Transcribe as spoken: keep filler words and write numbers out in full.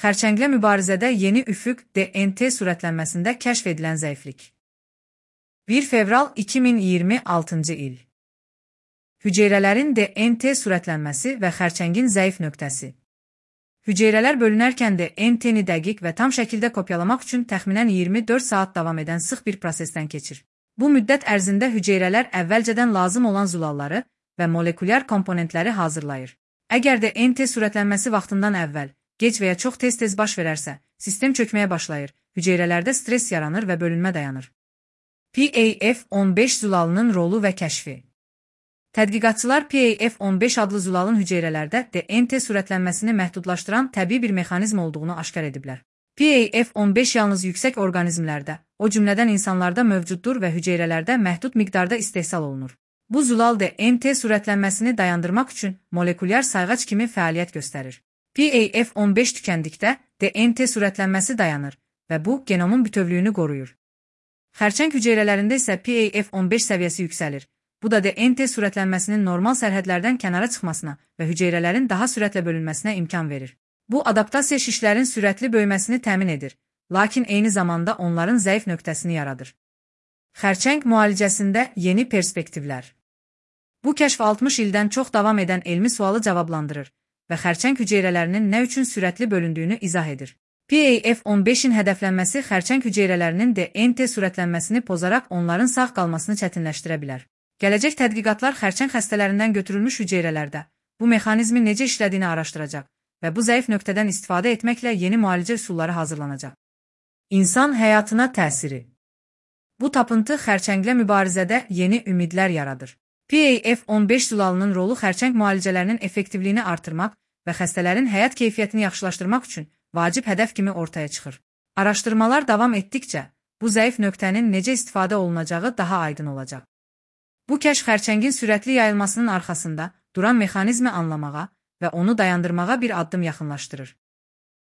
Xərçənglə mübarizədə yeni üfüq D N T sürətlənməsində kəşf edilən zəiflik. bir fevral iki min iyirmi altıncı il. Hüceyrələrin D N T sürətlənməsi və xərçəngin zəif nöqtəsi. Hüceyrələr bölünərkən D N T-ni dəqiq və tam şəkildə kopyalamaq üçün təxminən iyirmi dörd saat davam edən sıx bir prosesdən keçir. Bu müddət ərzində hüceyrələr əvvəlcədən lazım olan zulalları və molekulyar komponentləri hazırlayır. Əgər D N T sürətlənməsi vaxtından əvvəl, gec və ya çox tez-tez baş verərsə, sistem çökməyə başlayır, hüceyrələrdə stress yaranır və bölünmə dayanır. P A F on beş zulalının rolu və kəşfi. Tədqiqatçılar P A F on beş adlı zulalın hüceyrələrdə D N T sürətlənməsini məhdudlaşdıran təbii bir mexanizm olduğunu aşkar ediblər. P A F on beş yalnız yüksək orqanizmlərdə, o cümlədən insanlarda mövcuddur və hüceyrələrdə məhdud miqdarda istehsal olunur. Bu zulal D N T sürətlənməsini dayandırmaq üçün molekulyar sayğac kimi fəaliyyət göstərir. P A F on beş tükəndikdə D N T sürətlənməsi dayanır və bu genomun bütövlüyünü qoruyur. Xərçəng hüceyrələrində isə P A F on beş səviyyəsi yüksəlir. Bu da D N T sürətlənməsinin normal sərhədlərdən kənara çıxmasına və hüceyrələrin daha sürətlə bölünməsinə imkan verir. Bu adaptasiya şişlərin sürətli böyüməsini təmin edir, lakin eyni zamanda onların zəif nöqtəsini yaradır. Xərçəng müalicəsində yeni perspektivlər. Bu kəşf altmış ildən çox davam edən elmi sualı cavablandırır və xərçəng hüceyrələrinin nə üçün sürətli bölündüyünü izah edir. P A F on beşin hədəflənməsi xərçəng hüceyrələrinin D N T sürətlənməsini pozaraq onların sağ qalmasını çətinləşdirə bilər. Gələcək tədqiqatlar xərçəng xəstələrindən götürülmüş hüceyrələrdə bu mexanizmin necə işlədiyini araşdıracaq və bu zəif nöqtədən istifadə etməklə yeni müalicə üsulları hazırlanacaq. İnsan həyatına təsiri. Bu tapıntı xərçənglə mübarizədə yeni ümidlər yaradır. P A F on beş zulalının rolu xərçəng müalicələrinin effektivliyini artırmaq və xəstələrin həyat keyfiyyətini yaxşılaşdırmaq üçün vacib hədəf kimi ortaya çıxır. Araşdırmalar davam etdikcə, bu zəif nöqtənin necə istifadə olunacağı daha aydın olacaq. Bu kəşf xərçəngin sürətli yayılmasının arxasında duran mexanizmi anlamağa və onu dayandırmağa bir addım yaxınlaşdırır.